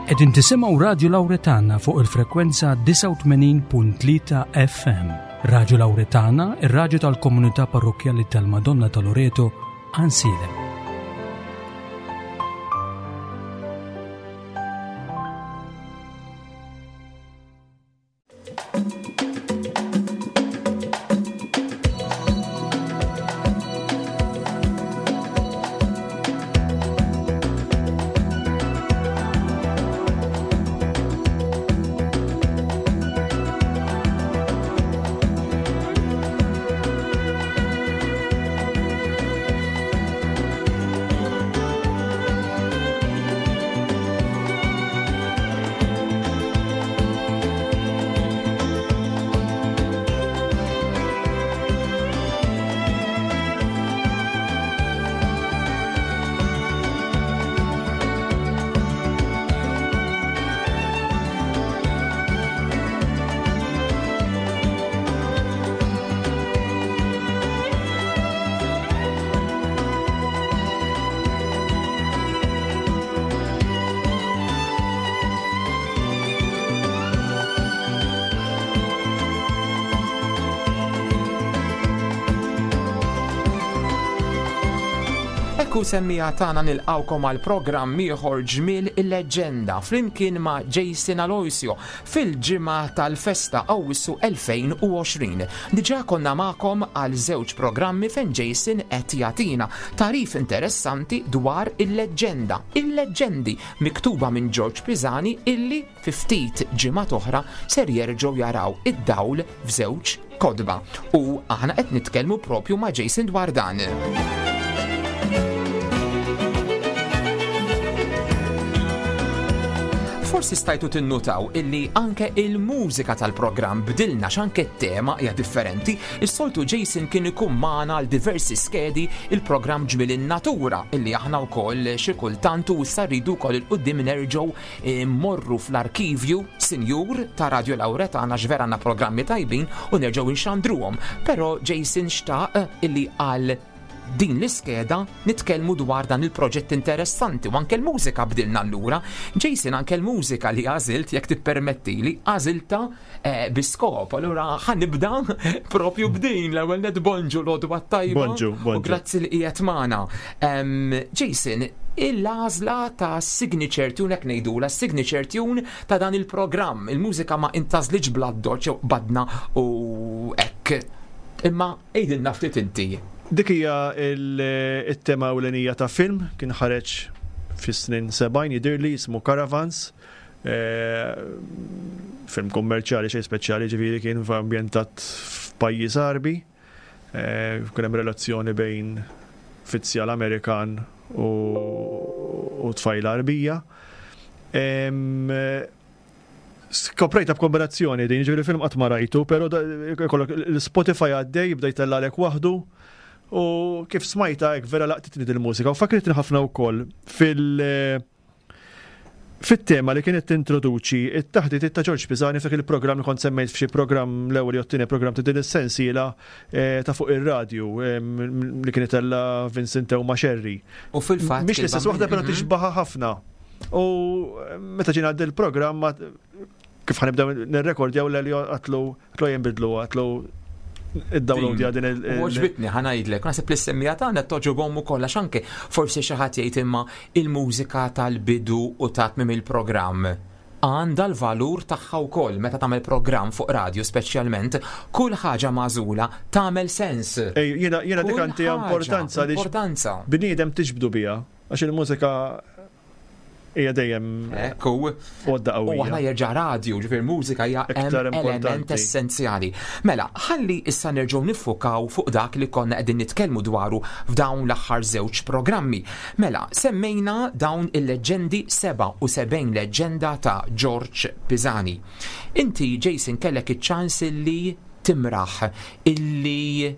Qegħdin tisimgħu Radju Lawretana fuq il-frekwenza 89.3 FM. Radju Lawretana, ir-radju tal-komunità parrokkjali tal-Madonna ta' Loreto, Għansielem. Ekku semmija tagħna nilqawkom għal programm ieħor ġmiel il-leġġenda flimkien ma' Jason Aloisio fil-ġimgħa tal-festa Awwissu 2020. Diġà konna magħkom għal żewġ programmi fejn Jason qed jagħtina tagħrif interessanti dwar il-leġġenda, il-leġġendi miktuba minn George Pisani illi fi ftit ġimgħat oħra ser jerġgħu jaraw id-dawl f'żewġ kotba. U aħna qed nitkellmu propju ma' Jason dwar dan. Forsi stajtu tinnutaw illi anke il-mużika tal-programm bdilna x'anke t-tema hija differenti. Is-soltu Jason kien ikun magħna għal diversi skedi il-programm Ġmiel in-Natura illi aħna wkoll xi kultant u issa rridu wkoll il-qudiem nerġgħu Immorru fl-arkivju, sinjur, ta' Radio Lauretana għax vera għandna programmi tajbin u nerġgħu nxandruhom. Però Jason xtaq illi għal din l-iskeda nitkellmu dwar dan il-proġett interessanti u anke l-mużika bdilna allura. Jason anke l-mużika li għażilt jekk tippermettili għażilta eh, bi skop. Allura ħanibda propju b'din l-ewwel net bonġu l-għodwa tajba. Bonġu, bonġu. U grazzi li qiegħed magħna. Jason, il-għażla ta' signature tune hekk ngħidula signature tune ta' dan il-programm. Il-mużika ma intażlitx bla doċ jew qbadna u hekk. Imma għidilna ftit inti. Dik hija il-tema ewlenija ta' film kien ħareġ fis-snin 70 jidhirli jismu Caravans. Film kummerċjali xejn speċjali ġifieri kien ambjentat f'pajjiż Għarbi. Kien hemm relazzjoni bejn fizzjal Amerikan u tfajla Għarbija. Skoprejta b'kombinazzjoni din, ġifieri film qatt ma rajtu, però ikollok l-Spotify għaddej jibda jtellgħalek waħdu u kif smajta hekk vera laqtitni dil-mużika u fakritni ħafna wkoll fil- Fit-tema li kienet tintroduċi t-taħditiet ta' Ġorġ Pisani f'dak il-programm li kont semmejt f'xi programm l-ewwel jew t-tieni programm ta' din is-sensiela ta' fuq ir-radju li kien itella' Vincent Teuma Scerri. U fil-fatt. Mhix l-istess waħda però tixbaha ħafna. U meta ġie ngħaddi l-programm kif ħanibdew nirrekordjaw l-Elio għatlu Għatlu jinbidlu, għatlu id-download din il- Għoġbitni ħanajdlek, naħseb li s-semmija tagħna toġobhom ukoll għax anke forsi xi ħadd jgħid imma il-mużika tal-bidu u ta' tmiem il-programm għandha l-valur tagħha wkoll meta tagħmel programm fuq radio speċjalment, kull ħaġa magħżula tagħmel sens. Ej, jiena jiena dik għandi importanza li importanza. Bniedem tiġbdu biha għax il-mużika hija dejjem Ekku. Għodda qawwija. U aħna jerġa' radju, ġifier mużika hija element essenzjali. Mela, ħalli issa nerġgħu niffukaw fuq dak li konna qegħdin nitkellmu dwaru f'dawn l-aħħar żewġ programmi. Mela, semmejna dawn il-leġġendi 77 leġġenda ta' George Pisani. Inti, Jason, kellek iċ-ċans illi timraħ, illi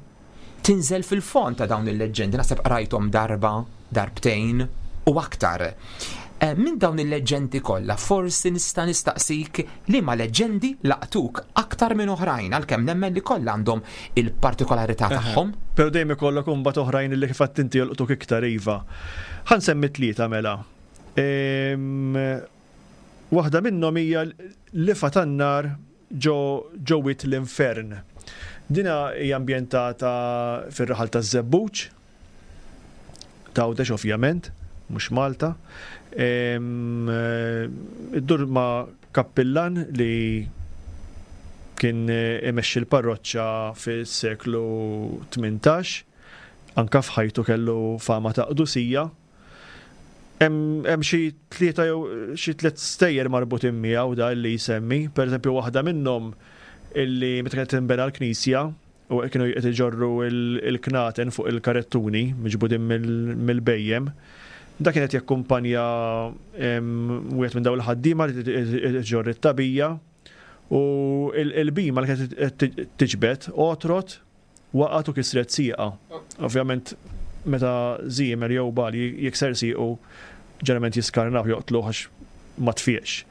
tinżel fil-fond ta' dawn il-leġġendi, naħseb qrajthom darba, darbtejn u aktar. Eh, minn dawn il-leġġendi kollha, forsi nista' nistaqsik liema leġġendi laqtuk aktar minn oħrajn għalkemm nemmen li kollha għandhom il-partikolarità tagħhom. Però dejjem ikollok imbagħad oħrajn li kif għedt inti jolqtuk iktar iva. Ħa nsemmi tlieta mela. Ehm, Waħda minnhom hija Lifa tan-nar ġo ġo Wied l-Infern. Dina hija ambjentata fir-raħal taż-Żebbuġ, t'Għawdex ovvjament, mhux Malta. Iddur ma' kappillan li kien imexxi l-parroċċa fis-seklu 18, anke f'ħajtu kellu fama ta' qdusija. Hemm xi tlieta jew xi tliet stejjer marbutin miegħu da li jsemmi. Pereżempju waħda minnhom illi meta kienet tinbena l-knisja u kienu qed iġorru l-knaten fuq il-karettuni miġbudin mill-bhejjem, da kien qed jakkumpanja wieħed minn dawn il-ħaddiema li iġorr it-tagħbija u l-bhima li kienet qed tiġbed għotrot Waqgħet u kisret sieqha. Ovvjament meta żiemel jew bagħal jikser siequ ġeneralment jiskarnawh joqtluh għax ma tfieqx.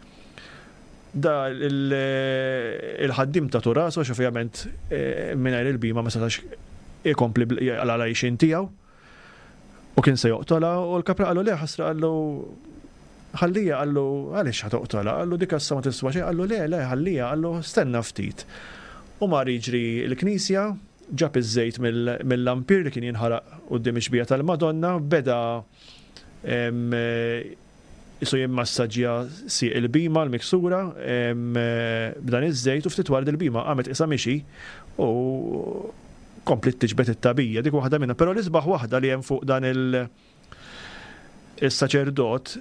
Da il-ħaddiem tatu rasu għax ovvjament mingħajr il-bhima ma setax ikompli għal għajxien tiegħu. U kien se joqtolha u l-kapra qallu le ħasra qallu ħallija qallu għaliex ħa toqtolha qallu dik issa ma tiswa xejn qallu le le ħallija qallu stenna ftit. U mar jiġri l-knisja ġab iż-żejt mill-lampir li kien jinħaraq quddiem ix-xbieha tal-Madonna beda Qisu jimmassaġġja sieq il-bhima l-miksura b'dan iż-żejt u ftit wara dil-bhima qamet qisha mixi u kompliet tiġbed it-tagħbija. Dik waħda minnhom. Però l-isbaħ waħda li hemm fuq dan il- is-saċerdot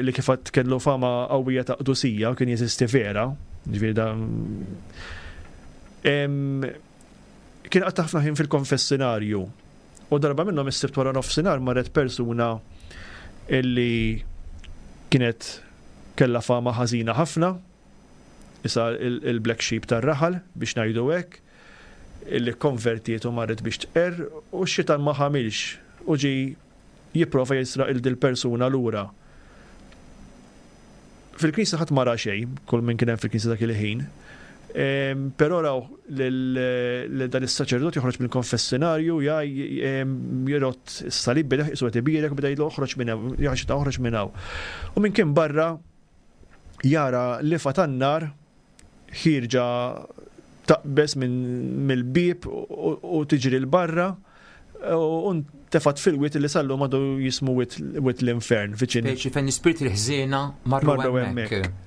li kif għedt kellu fama qawwija ta' qdusija u kien jeżisti vera, ġifieri da kien qatta' ħafna ħin fil-konfessinarju U darba minnhom is-Sibt wara nofsinhar marret persuna illi kienet kellha fama ħażina ħafna, isa il-black sheep tar-raħal biex ngħidu hekk, illi kkonvertiet u marret biex tqerr u x-xitan ma ħamilx u ġie jipprova jisraq 'il dil-persuna lura. Fil-knisja ħadd ma ra xejn, kull min kien hemm fil-knisja dak il-ħin. Però raw lil dan is-saċerdot joħroġ mill-konfessinarju, jirott is-salib bideh qisu qed ibierek u beda jgħidlu oħroġ minn hawn, jaħxita oħroġ minn hawn. U min kien barra jara lifa tan-nar ħierġa taqbeż mill-bieb u tiġri 'l barra u ntefgħet fil-wied li sal-lum għadu jismu Wied l-Infern viċin. Speċi fejn l-ispirti l-ħżiena marru hemmhekk.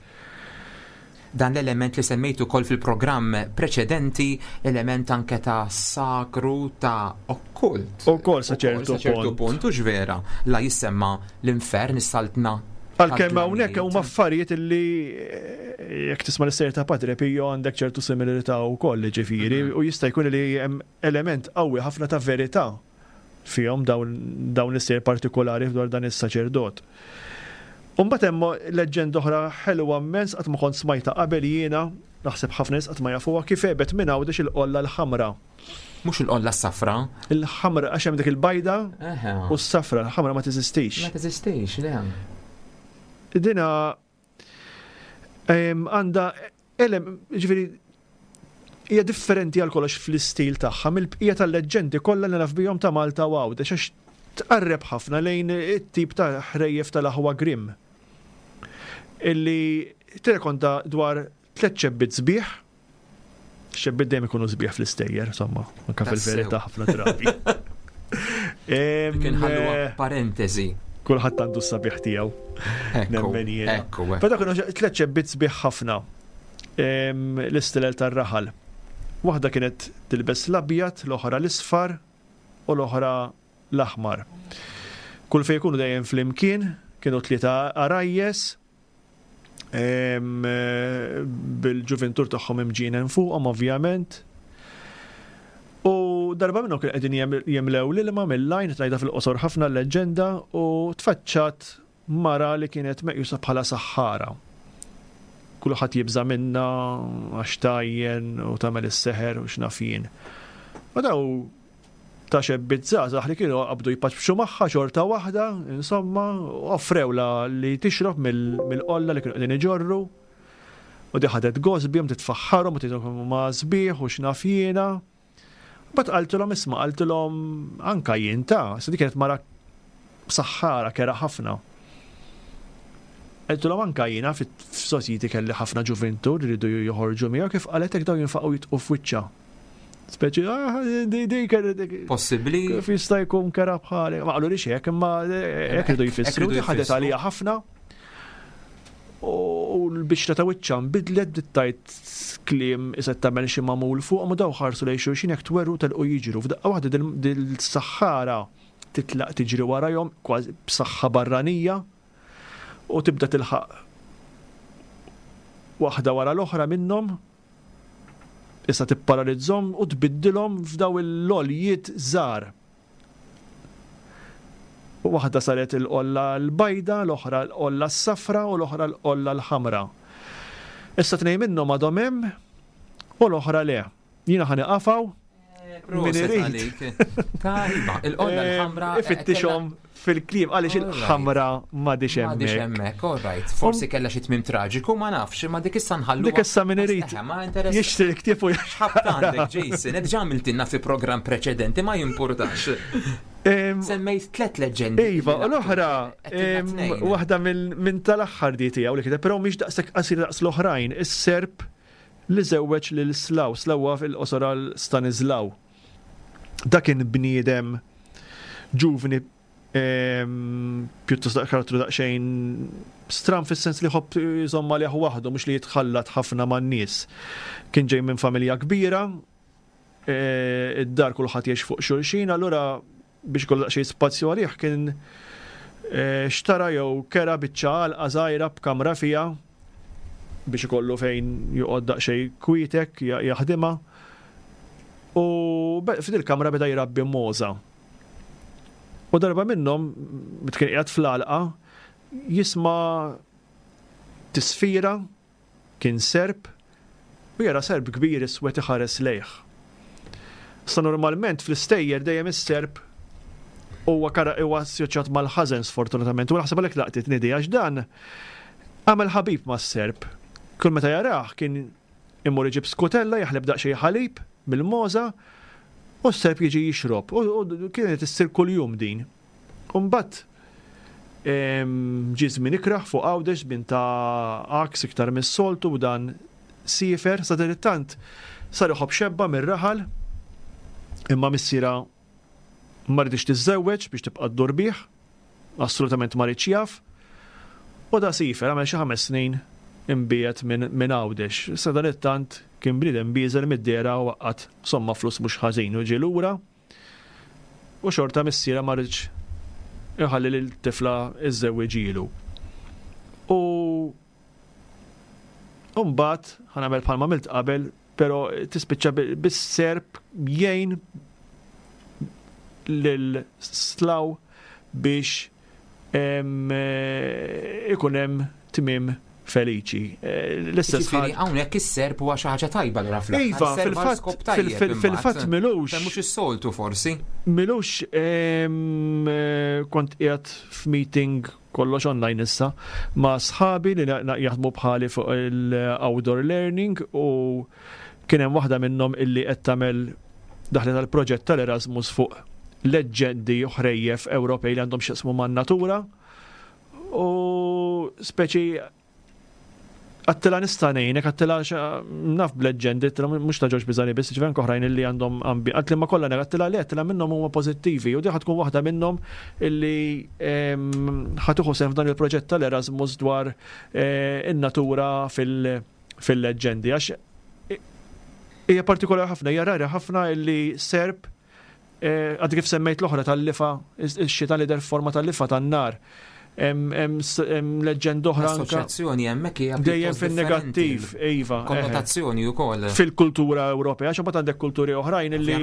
Dan l-element li semmejtu ukoll fil-programm preċedenti, element anke ta' sagru ta' okkult. Ukoll sa ċertu punt, hux vera, la jissemma l-infern, is-saltna. Għalkemm hawnhekk huma affarijiet li eh, jekk tisma' l-istejjer ta' Padre Pio għandek ċertu similarità wkoll, ġifieri, mhm. u jista' jkun li hemm element qawwi ħafna ta' verità fihom dawn l-istejjer partikolari dwar dan is-saċerdot. Umbagħad hemm leġġenda oħra ħelwa immens qatt ma kont smajta qabel jiena, naħseb ħafna nies qatt ma jafuha kif għebet minn Għawdex il-qolla l-ħamra. Mhux il-qolla s-safra. Il-ħamra għax hemm dik il-bajda u s-safra, il-ħamra ma teżistix. Ma teżistix, le. Dina għandha ġifieri hija differenti għal kollox fl-istil tagħha mill-bqija tal-leġġendi kollha li naf bihom ta' Malta u Għawdex għax tqarreb ħafna lejn it-tip ta' ħrejjef tal-aħwa Grimm. Illi tirrekonta dwar tlett ċebbiet sbieħ Xebbiet dejjem ikunu sbieħ fl-istejjer, insomma, anka fil-verità ħafna drabi. Kien ħallu eh, parentesi. Kulħadd għandu s-sabiħ tiegħu. Nemmen jien. Ekku, Però kienu tliet xebbiet sbieħ ħafna l-istilel tar-raħal. Waħda kienet tilbes l-abjad, l-oħra l-isfar u l-oħra l-aħmar. Kull fejn ikunu dejjem flimkien, kienu tlieta għarajjes, bil-ġuvintur tagħhom imġienen fuqhom ovvjament. U darba minnhom kien qegħdin jimlew l-ilma mill-għajn, qed ngħidha fil-qosor ħafna l-leġġenda, u tfaċċat mara li kienet meqjusa bħala saħħara. Kulħadd jibża' minnha għax tgħajjen u tagħmel is-seħer u x'naf jien. U daw ta' xebbiet żgħażagħ li kienu qabdu jpaċpċu magħha xorta waħda, insomma, offrewlha li tixrob mill-qolla li kienu qegħdin iġorru. U di ħadet gost bihom titfaħħarhom u tgħidilhom kemm huma sbieħ u x'naf jiena. Mbagħad qaltilhom isma' qaltilhom anka jien ta' se di kienet mara saħħara kera ħafna. Għedtilhom anka jiena f'sosjiti kelli ħafna ġuvintur li rridu joħorġu miegħu kif qalet hekk dawn jinfaqgħu jitqu f'wiċċha. Speċi, ah, di di Possibbli. Kif jista' jkun kera bħali. Ma qalu li hekk, imma hekk ridu jfissru. Ħadet għalija ħafna. U l-bixra ta' wiċċha nbidlet bdiet tgħid kliem iset tagħmel xi magħmul fuq ma daw ħarsu lejn xulxin hekk twerru telqu jiġru. F'daqqa waħda dil-saħħara titlaq tiġri warajhom kważi b'saħħa barranija u tibda tilħaq waħda wara l-oħra minnhom issa tipparalizzhom u tbiddilhom f'daw il-loljiet żgħar. Waħda saret il-qolla l-bajda, l-oħra l-qolla s-safra u l-oħra l-qolla l-ħamra. Issa tnejn minnhom għadhom hemm u l-oħra le. Jiena ħa nieqaf hawn. Min irid. Tajba, il-qolla eh, l-ħamra. Eh, Ifittixhom fil-kliem għaliex il-ħamra m'għadix hemmhekk. M'għadix hemmhekk, all right. Forsi kellha xi tmiem traġiku, ma nafx, ma dik issa nħallu. Dik issa min irid. Jixtri l-ktieb u X'ħabt għandek, Jason, qed ġamiltilna fi programm preċedenti ma jimpurtax. Semmejt tlet leġendi. Iva, u l-oħra, waħda minn tal-aħħar di tiegħu li kiteb, però mhix daqshekk qasir daqs l-oħrajn, is-Serb li żewweġ lil Slaw, Slaw huwa fil-qosor għal Stanislaw. Dak kien bniedem ġuvni pjuttost daq karattru daqsxejn stram fis-sens li jħobb jżomm għalih waħdu mhux li jitħallat ħafna man-nies. Kien ġej minn familja kbira, e, id-dar kulħadd jgħix fuq xulxin, allura biex ikollu daqsxejn spazju għalih kien e, xtara jew kera biċċa għalqa żgħira b'kamra fiha biex ikollu fejn joqgħod daqsxejn kwietek jaħdimha. U f'dil kamra beda jrabbi mogħża. U darba minnhom, meta kien qiegħed fl-għalqa, jisma' tisfira Kien serp u jara serp kbir iswed iħares lejh. Issa normalment fl-istejjer dejjem is-serp huwa huwa assoċjat mal-ħażen sfortunatament u naħseb għalhekk laqtitni di għax dan għamel ħabib mas-serp. Kull meta jarah kien imur iġib skutella jaħleb daqsxejn ħalib mill-mogħża u s-serp jiġi jixrob u kienet issir kuljum din. U mbagħad ġie żmien ikrah fuq Għawdex, żmien ta' għaks iktar mis-soltu u dan siefer, sadanittant sar iħobb xebba mir-raħal imma missierha ma riditx tiżżewweġ biex tibqa' ddur bih, assolutament ma riedx jaf. U da siefer għamel xi ħames snin imbiegħed minn Għawdex. Sadanittant kien bniedem bieżel mid-dehra u għaqqad somma flus mhux ħażin u ġie lura. U xorta missierha ma ridx iħalli lil tifla iżżewwiġilu. U mbagħad ħa nagħmel bħalma għamilt qabel, però tispiċċa bis-serp jgħin lil Slaw biex ikun hemm tmiem feliċi. L-istess ħaġa. Hawnhekk is-serp huwa xi ħaġa tajba lura fl Iva, fil-fatt fil-fatt milux. Mhux is-soltu forsi. Milux kont qiegħed f'meeting kollox online issa ma' sħabi li jaħdmu bħali fuq il-outdoor learning u kien hemm waħda minnhom illi qed tagħmel daħlet għal proġett tal-Erasmus fuq leġġendi u ħrejjef Ewropej li għandhom x'jaqsmu man-natura u speċi għattila nista' ngħinek, għattila naf b'leġġendi, għattila mhux ta' Ġorġ Biżani biss, ġifieri anke oħrajn illi għandhom ambi, għattila ma kollha għattila le, għattila minnhom huma pożittivi u di tkun waħda minnhom illi ħa tieħu sehem f'dan il-proġett tal-Erasmus dwar eh, in-natura fil-leġġendi għax hija partikolari ħafna, hija rari ħafna illi serb eh, għad kif semmejt l-oħra tal-lifa, ix-xitan li der forma tal-lifa tan-nar. Hemm leġġend oħra. Assoċjazzjoni hemmhekk hija dejjem fin-negattiv, iva. Konnotazzjoni wkoll. Fil-kultura Ewropea, għax imbagħad għandek kulturi oħrajn illi.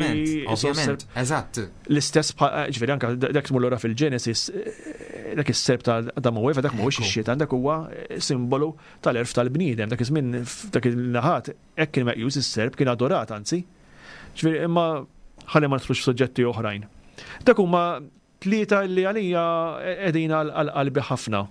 Ovvjament, eżatt. L-istess eh, ġifieri anke dak tmur lura fil-Ġenesis, eh, dak is-serb ta' Adam u Eva, dak mhuwiex ix-xitan, dak huwa simbolu tal-għerf tal-bniedem. Dak iż-żmien f'dak il-naħat hekk kien meqjus is-serp kien adorat anzi. Ġifieri imma ħalli ma nidħlux f'suġġetti oħrajn. Dak huma tlieta li għalija qegħdin għal qalbi ħafna.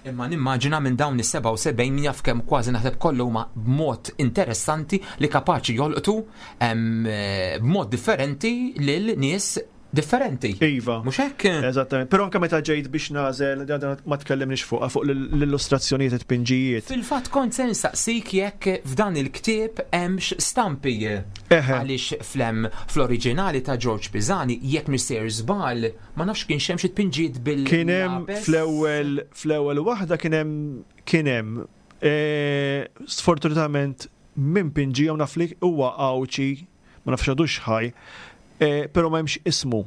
Imma nimmaġina minn dawn is-77 min jaf kemm kważi naħseb kollha huma b'mod interessanti li kapaċi jolqtu b'mod differenti lil nies Differenti. Iva. Mhux hekk? Eżattament. Però anke meta ġejt biex nagħżel, ma tkellimniex fuqha fuq l-illustrazzjonijiet it-tpinġijiet. Fil-fatt kont se nsaqsik jekk f'dan il-ktieb hemmx stampi. Għaliex flem fl-oriġinali ta' George Pisani jekk mhix sejjer żball, ma nafx kienx hemm xi tpinġijiet bil Kien hemm fl-ewwel fl-ewwel waħda kien hemm kien hemm sfortunatament min pinġihom naf li huwa Għawdxi ma nafx għadux ħaj, eh, però ma hemmx ismu.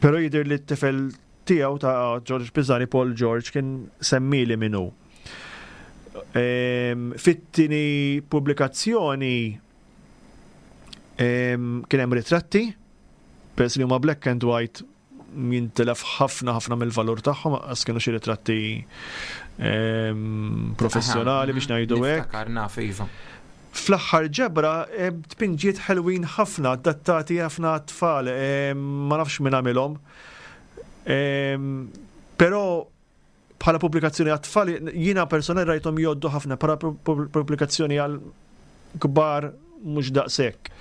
Però jidher li t-tifel tiegħu ta' George Pisani, Paul George, kien semmili minnu. Ehm, fit-tieni pubblikazzjoni ehm, kien hemm ritratti, peress li huma black and white jintilef ħafna ħafna mill-valur tagħhom, għas kienu xi ritratti ehm, professjonali biex ngħidu hekk. naf iva. Fl-aħħar ġebra tpinġiet ħelwin ħafna, adattati ħafna tfal, ehm, ma nafx min għamilhom. Ehm, però bħala pubblikazzjoni għat-tfal, jiena personali rajthom jgħoddu ħafna, bħala pubblikazzjoni għal kbar mhux daqshekk.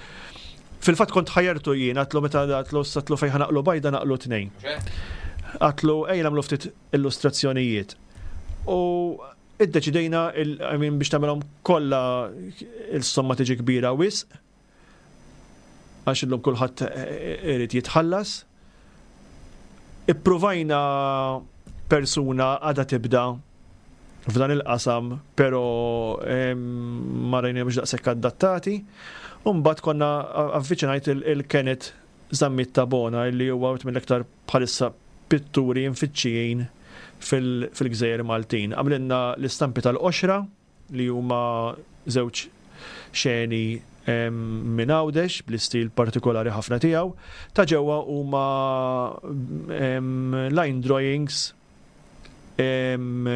Fil-fatt kont ħajertu jien, għatlu meta għatlu satlu fejn naqlu bajda naqlu tnejn. Għatlu ejja nagħmlu ftit illustrazzjonijiet. U iddeċidejna biex tagħmelhom kollha il-somma tiġi kbira wisq għax illum kulħadd irid jitħallas. Ippruvajna persuna għadha tibda f'dan il-qasam, pero ma rajna mhux daqshekk adattati. U mbagħad konna avviċinajt il-Kenneth Zammit Tabona li huwa wieħed mill-iktar bħalissa pitturi mfittxijin fil-Gżejjer Maltin. Għamlilna l-istampi tal-qoxra li huma żewġ xeni minn Għawdex bl-istil partikolari ħafna tiegħu. Ta' ġewwa huma line drawings hemm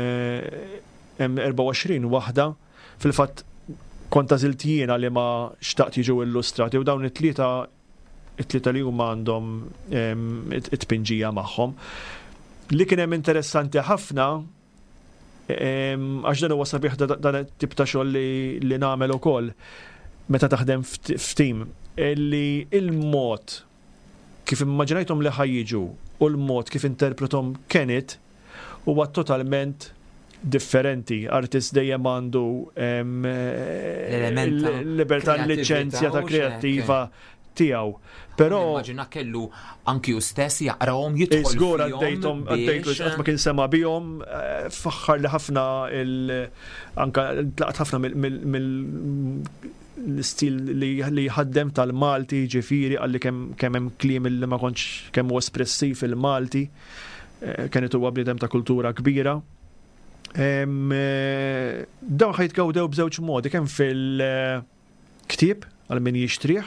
24 waħda. Fil-fatt kont għażilt jiena li ma xtaqt jiġu illustrati u dawn it-tlieta it-tlieta li huma għandhom it-tpinġija magħhom. Li kien hemm interessanti ħafna Għax dan huwa sabiħ dan it-tip ta' xogħol li nagħmel ukoll meta taħdem f'tim li il-mod kif immaġinajthom li ħajjiġu u l-mod kif interpretom Kenneth huwa totalment differenti. Artist dejjem għandu l-libertà l-liċenzja ta' kreattiva tiegħu. Però immaġina kellu anki hu stess jaqrahom jidħol. Żgur għaddejthom għaddejtu qatt ma kien sema bihom, eh, faħħar li ħafna il anka tlaqt ħafna mill l-istil li jħaddem tal-Malti, ġifiri, għalli kemm hemm kliem li ma kontx kemm huwa espressiv il-Malti, eh, kienet huwa bniedem ta' kultura kbira. Eh, dawn ħajtgawdew b'żewġ modi, kemm fil- ktieb għal min jixtrih,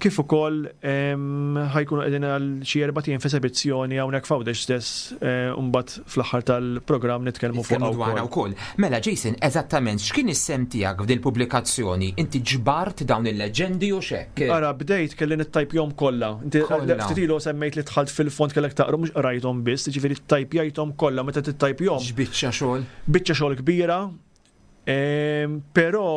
kif ukoll ħajkunu qegħdin għal xi erba' ijiem f'esebizzjoni hawnhekk f'Għawdex stess eh, u mbagħad fl-aħħar tal-programm nitkellmu fuq dwarha wkoll. Mela Jason, eżattament x'kien is-sem tiegħek f'dil pubblikazzjoni? Inti ġbart dawn il-leġendi u x'hekk? Ara bdejt kelli nittajpjhom kollha. Inti ftit ilu semmejt li dħalt fil-fond kellek taqra mhux qrajthom biss, jiġifieri ttajpjajthom kollha meta tittajpjhom. X'biċċa xogħol? Biċċa xogħol kbira, Però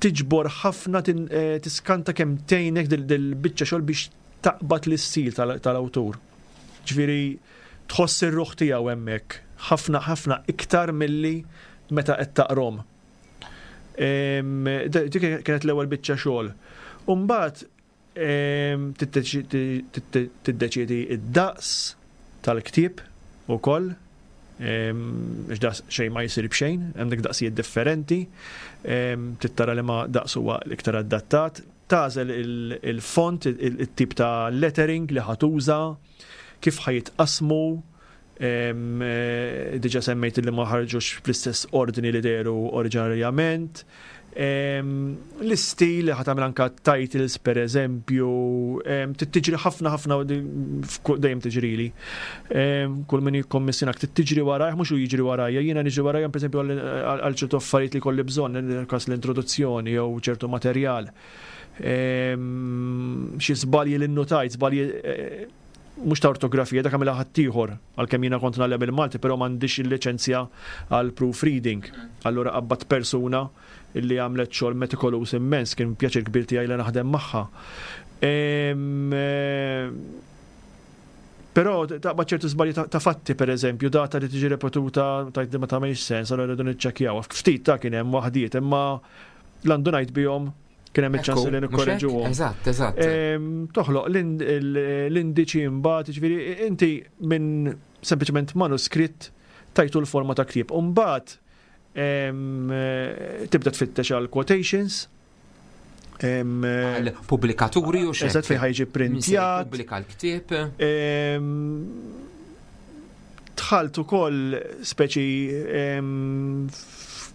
tiġbor ħafna eh, tiskanta kemm tgħinek dil-biċċa xogħol biex taqbad l-istil tal-awtur. Ġifieri tħoss ir-ruħ tiegħu hemmhekk ħafna ħafna iktar milli meta qed taqrom. Dik kienet l-ewwel biċċa xogħol. U mbagħad Tiddeċiedi d-daqs tal-ktieb ukoll, għax daqs xejn ma jsir b'xejn, għandek daqsijiet differenti, trid tara liema daqs huwa l-iktar adattat, tagħżel il-font, it-tip ta' lettering li ħa tuża, kif ħa jitqassmu, Diġa semmejt li ma ħarġux fl-istess ordni li dehru oriġinarjament. L-istil li ħatamel anka titles per eżempju, tiġri ħafna ħafna dejjem tiġrili. Kull min jikkommissjonak tiġri warajh, mhux hu jiġri warajja, jiena niġri warajja per eżempju għal ċertu affarijiet li kolli bżonn, kas l-introduzzjoni jew ċertu materjal. Xi żbalji li nnotajt, żbalji eh, mhux ta' ortografija, dak għamilha ħaddieħor, għalkemm jiena kont ngħallem il-Malti, però m'għandix il-liċenzja għal proofreading. Allura qabbadt persuna li għamlet xogħol metikoluż immens, kien pjaċir kbir tiegħi li naħdem magħha. Però taqbad ċertu żbalji ta' fatti pereżempju, data li tiġi repetuta tgħid li ma tagħmilx sens, allura rridu niċċekkjawha. Ftit ta' kien hemm waħdiet, imma l-għandu ngħid bihom kien hemm iċ-ċans li nikkorreġuhom. Eżatt, eżatt. Toħloq l-indiċi mbagħad, jiġifieri inti minn sempliċement manuskritt tajtu l-forma ta' ktieb. U mbagħad tibda tfittex għal quotations. Għal pubblikaturi u xejn. Eżatt fejn ħajġi printjat. Pubblika l-ktieb. Dħalt ukoll speċi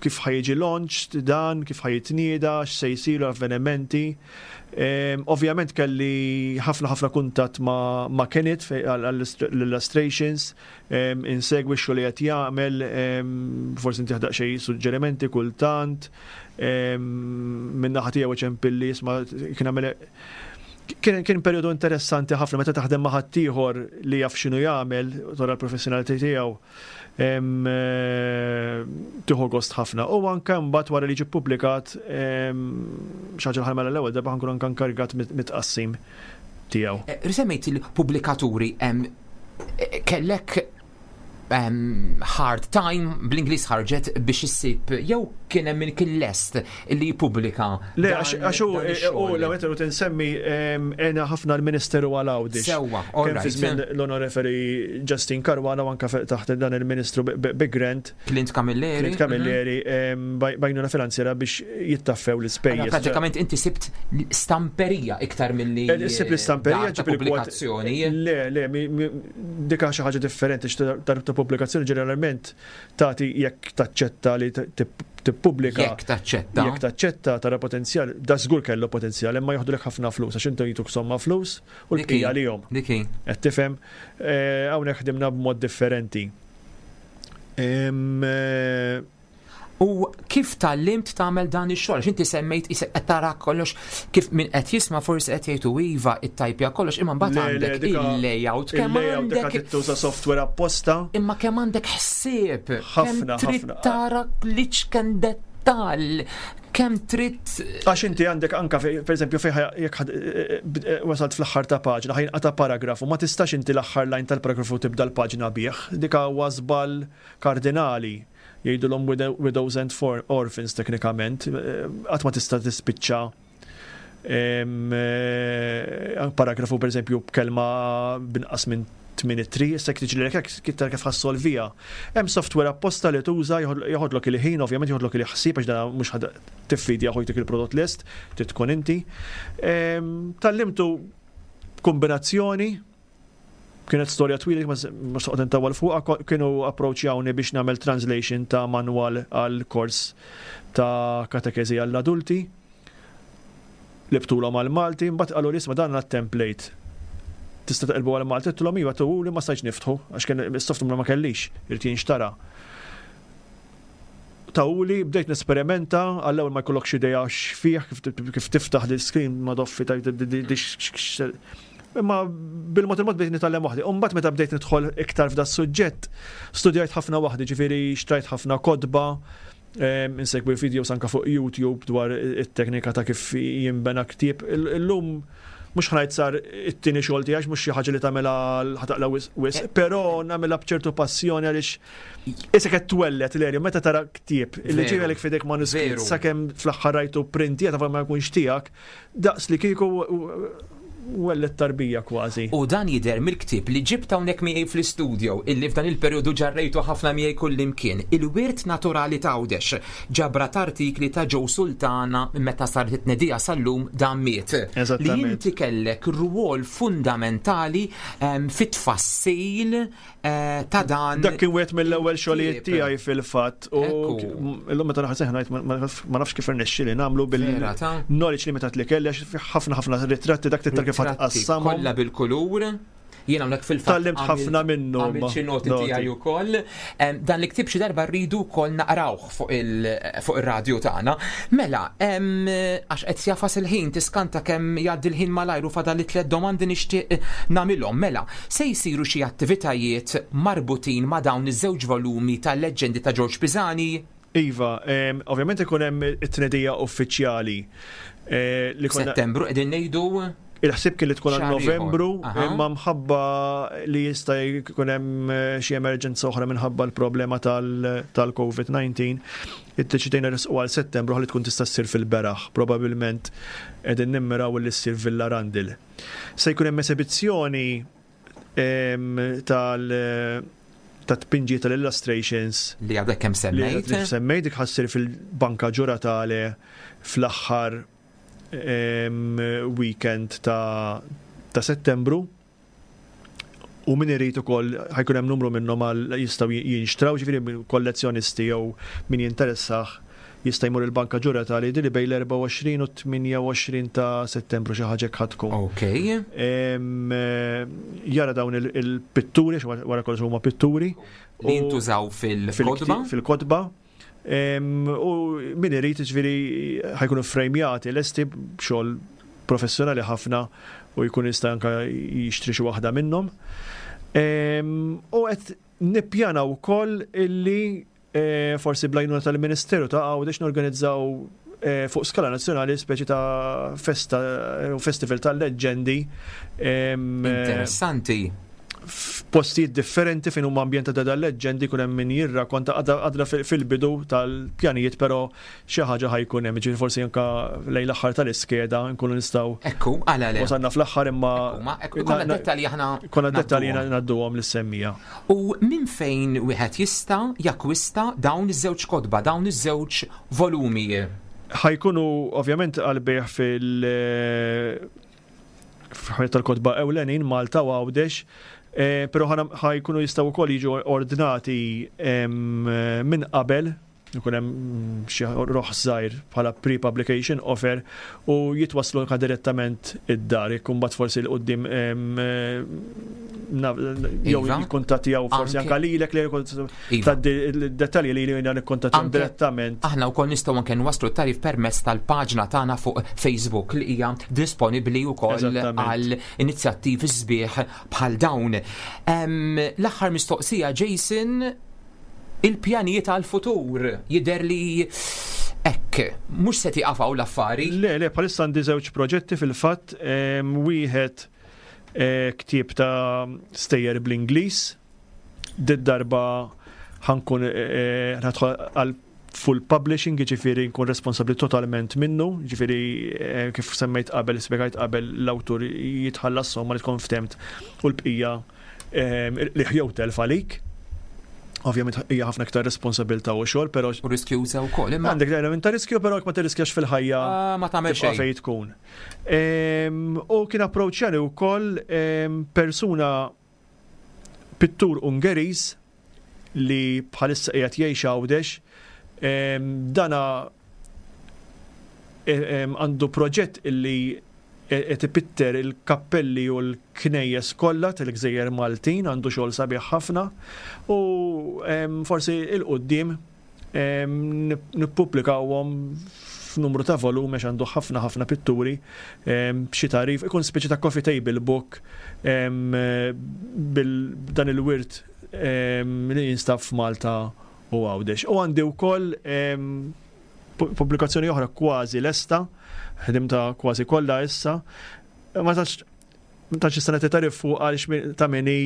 kif ħajġi launch dan, kif ħajitnieda, x'se jsiru avvenimenti. Ovvjament kelli ħafna ħafna kuntatt ma' Kenneth għall-illustrations, insegwi x-xogħol li qed jagħmel, forsi ntih daqsxejn suġġerimenti kultant, min-naħa tiegħu iċempilli isma' kien għamel kien kien perjodu interessanti ħafna meta taħdem ma' ħaddieħor li jaf x'inhu jagħmel, tara l-professjonalità tiegħu, tieħu gost ħafna. U anke mbagħad wara li ġie ppubblikat xi ħaġa li ħa nagħmilha l-ewwel darba ħa nkun anke inkarigat mit-tqassim tiegħu. Semmejt il-pubblikaturi, kellek hard time bl-Ingliż ħarġet biex issib jew kien hemm min kien lest li jippubblika. Le, għax hu l-ewwel irid insemmi għena ħafna l-Ministeru għal Għawdex. Sewwa, Kemm fi żmien l-Onorevoli Justin Caruana u anke taħt dan il-Ministru bi grant. Clint Camilleri. Clint Camilleri b'għajnuna finanzjera biex jittaffew l-ispejjeż. Pratikament inti sibt stamperija iktar milli. Sibt l-istamperija ġib il-pubblikazzjoni. Le, le, dik xi ħaġa differenti dar ta' pubblikazzjoni ġeneralment tagħti jekk taċċetta li tippubblika. Jekk taċċetta. Jekk taċċetta tara potenzjal, da żgur kellu potenzjal, imma joħdulek ħafna flus għax intom jituk somma flus u l-bqija lihom. Dik hi. Qed tifhem? Hawnhekk ħdimna b'mod differenti. U kif tgħallimt tagħmel dan ix-xogħol? Għax inti semmejt isek qed tara kollox kif min qed jisma' forsi qed jgħidu iva it-tajpja kollox imma mbagħad għandek il-layout kemm għandek tuża software apposta. Imma kemm għandek ħsieb. Ħafna trid tara l-iċken dettall kemm trid. Għax inti għandek anka pereżempju fejn jekk wasalt fl-aħħar ta' paġna ħajnqata' paragrafu ma tistax inti l-aħħar line tal-paragrafu tibda l-paġna bih. Dik huwa żball kardinali. Jgħidulhom widows and orphans teknikament, qatt ma tista' tispiċċa paragrafu pereżempju b'kelma b'inqas minn 8 ittri, issa jekk tiġrilek hekk tara kif ħassolviha. Hemm software apposta li tuża joħodlok il-ħin, ovvjament joħodlok il-ħsieb għax dan mhux ħa tiffidja u jtik il-prodott lest, trid tkun inti. Tgħallimtu b'kombinazzjoni Kienet storja twila ma mhux noqgħod intawwal fuqha, kienu approachjawni biex nagħmel translation ta' manwal għal kors ta' katekeżi għall-adulti. Libtulhom għall-Malti, mbagħad qaluli isma' dan għandna template. Tista' taqilbu għall-Malti? Għedtilhom iva tuhuli ma stajtx niftħu għax kien is-software ma kellix, irid jinxtara. Tawuli, bdejt nesperimenta, għall-ewwel ma jkollokx idea x'fih, kif tiftaħ l-iskrin ma doffi ta' Imma bil-mod il-mod bdejt nitgħallem waħdi. U mbagħad meta bdejt nidħol iktar f'da suġġett, studjajt ħafna waħdi, ġifieri xtrajt ħafna kotba, insegwi videos anka fuq YouTube dwar it-teknika ta' kif jinbena ktieb. Illum mhux ħa ngħid sar it-tieni xogħol tiegħi mhux xi ħaġa li tagħmilha ħa taqla' wisq, però nagħmilha b'ċertu passjoni għaliex isek qed twelled l meta tara ktieb li ġielek f'idek manuskritt sakemm fl-aħħar rajtu printi ta' ma jkunx tiegħek, daqs li kieku wellet tarbija kważi. U dan jidher mill-ktieb li ġibt hawnhekk miegħi fl-istudio illi f'dan il-perjodu ġarrejtu ħafna miegħi kullimkien, Il-Wirt Naturali t'Għawdex, ġabra t'artikli ta' Joe Sultana minn meta saret it-tnedija sal-lum dan miet. Li inti kellek rwol fundamentali fit-tfassil ta' dan. Dak kien wieħed mill-ewwel xogħlijiet tiegħi fil-fatt u illum meta naħseb ngħid ma nafx kif irnexxieli nagħmlu bil-knowledge limitat li kelli għax ħafna ħafna ritratti dak tittar kif tqassamhom. Kollha bil-kulur. Jien hawnhekk fil-fatt. Tgħallimt ħafna minnu. Għamilt xi noti tiegħi wkoll. Dan il-ktieb xi darba rridu wkoll naqrawh fuq ir-radju tagħna. Mela, għax qed jafas il-ħin tiskanta kemm jgħaddi l-ħin malajr u fadal li tliet domandi nixtieq nagħmilhom. Mela, se jsiru xi attivitajiet marbutin ma' dawn iż-żewġ volumi tal-Leġġendi ta' Ġorġ Pisani? Iva, ovvjament ikun hemm it-tnedija uffiċjali. Settembru qegħdin ngħidu? Il-ħsieb kien li tkun għal Novembru, imma mħabba li jista' jkun hemm eh, xi emerġenza oħra minħabba l-problema tal-COVID-19, iddeċidejna resqu għal Settembru ħalli tkun tista' ssir fil-beraħ, probabbilment qegħdin nimmiraw li ssir Villa Randil. Se jkun hemm esibizzjoni tal ta' tpinġi tal-illustrations. Li għadek kemm semmejt. Li semmejt dik ħassir fil-Banka Ġuratale fl-aħħar weekend ta' ta' Settembru u min irid ukoll ħajkun hemm numru minnhom għal jistgħu jinxtraw ġifieri kollezzjonisti jew min jinteressah jista' jmur il-Banka Ġuratali li bejn l-24 u 28 ta' Settembru xi ħaġa hekk tkun. Ok. Jara dawn il-pitturi, wara kollox huma pitturi. Li jintużaw fil-kotba. Fil-kotba. U min irid ġifieri ħajkunu frejmjati lesti b'xogħol professjonali ħafna u jkun jista' anke jixtri xi waħda minnhom. U qed nippjana wkoll illi eh, forsi bl-għajnuna tal-Ministeru ta' Għawdex norganizzaw eh, fuq skala nazzjonali speċi ta' festa eh, festival tal-leġġendi. Interessanti. F'postijiet differenti fejn huma ambjentata dal-leġġendi jkun hemm min jirrakonta għadna fil-bidu tal-pjanijiet però xi ħaġa ħajkun hemm, ġifieri forsi anke lejn l-aħħar tal-iskeda nkunu nistgħu. Ekku, għala le. Wasalna fl-aħħar imma. Konna dettalji aħna. Konna dettalji ngħadduhom lis-semmija. U minn fejn wieħed jista' jakkwista dawn iż-żewġ kotba, dawn iż-żewġ volumi? Ħajkunu ovvjament għal-bejħ fil- f'ħajja tal-kotba ewlenin Malta u Għawdex, eh, però ħajkunu jistgħu wkoll jiġu ordnati minn qabel ikun hemm xi roħ żgħir bħala pre-publication offer u jitwasslu anke direttament id-dar jekk imbagħad forsi l qudiem jew iva. jikkuntattjaw forsi anke lilek li iva. tgħaddi d-dettalji li jiena nikkuntattjahom direttament. Aħna wkoll nistgħu anke nwasslu t-tarif permezz tal-paġna tagħna fuq Facebook li hija disponibbli wkoll għal inizjattivi sbieħ bħal dawn. L-aħħar mistoqsija Jason il-pjanijiet għall-futur jidher li hekk mhux se tieqaf hawn l-affari. Le, le, bħalissa għandi żewġ proġetti fil-fatt, wieħed eh, ktieb ta' stejjer bl-Ingliż, did-darba ħankun eh, eh, ħadħol għal full publishing, ġifiri nkun responsabli totalment minnu, ġifiri kif semmejt qabel, spiegajt qabel l-awtur jitħallas somma li tkun ftemt u l-bqija li jew telf għalik. Ovvjament hija ħafna iktar responsabilità u xogħol, però. U riskjuża wkoll. Imma għandek element ta' riskju, però jekk ma tirriskjax fil-ħajja. Ah, ma tagħmel xejn. Fejn tkun. U kien approċċjani wkoll persuna pittur Ungeriż li bħalissa qiegħed jgħix Għawdex, dana għandu proġett illi qed ipitter il-kappelli u l-knejjes kollha tal-gżejjer Maltin, għandu xogħol sabiħ ħafna u forsi 'l quddiem nippubblikawhom f'numru ta' volumi għax għandu ħafna ħafna pitturi b'xi tagħrif, ikun speċi ta' coffee table book bil dan il-wirt li jinstab f'Malta u Għawdex. U għandi wkoll pubblikazzjoni oħra kważi lesta, ħdimta kważi kollha issa. Ma tantx Ma tantx nista' nagħti tarif fuq għaliex ta' min hi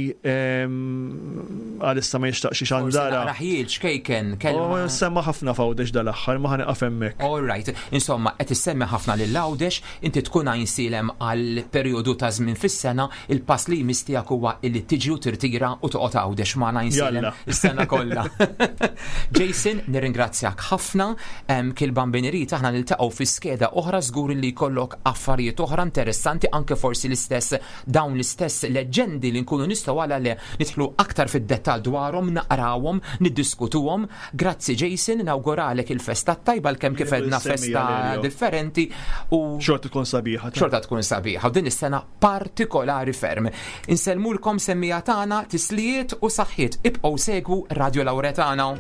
għalissa ma jixtaqx ixandara. Raħjil xkejken kelma. Semma ħafna f'Għawdex dal-aħħar ma ħaniqaf hemmhekk. All right. Insomma, qed issemmi ħafna lil Għawdex, inti tkun Għajnsielem għal perjodu ta' żmien fis-sena, il-pass li jmiss tiegħek huwa illi tiġi u tirtira u toqgħod Għawdex magħna Għajnsielem is-sena kollha. Jason, nirringrazzjak ħafna. Kil Bambin irid aħna niltaqgħu fi skeda oħra żgur li jkollok affarijiet oħra interessanti anke forsi l-istess dawn l-istess leġġendi li nkunu nistgħu għala le nidħlu aktar fid-dettall dwarhom, naqrawhom, niddiskutuhom. Grazzi Jason, nawguralek il-festa t-tajba għalkemm kif għedna festa differenti u xorta tkun sabiħa. Xorta tkun sabiħa u din is-sena partikolari ferm. Insellmulkom semmiegħa tagħna, tislijiet u saħħiet. Ibqgħu segwu Radio Lauretana.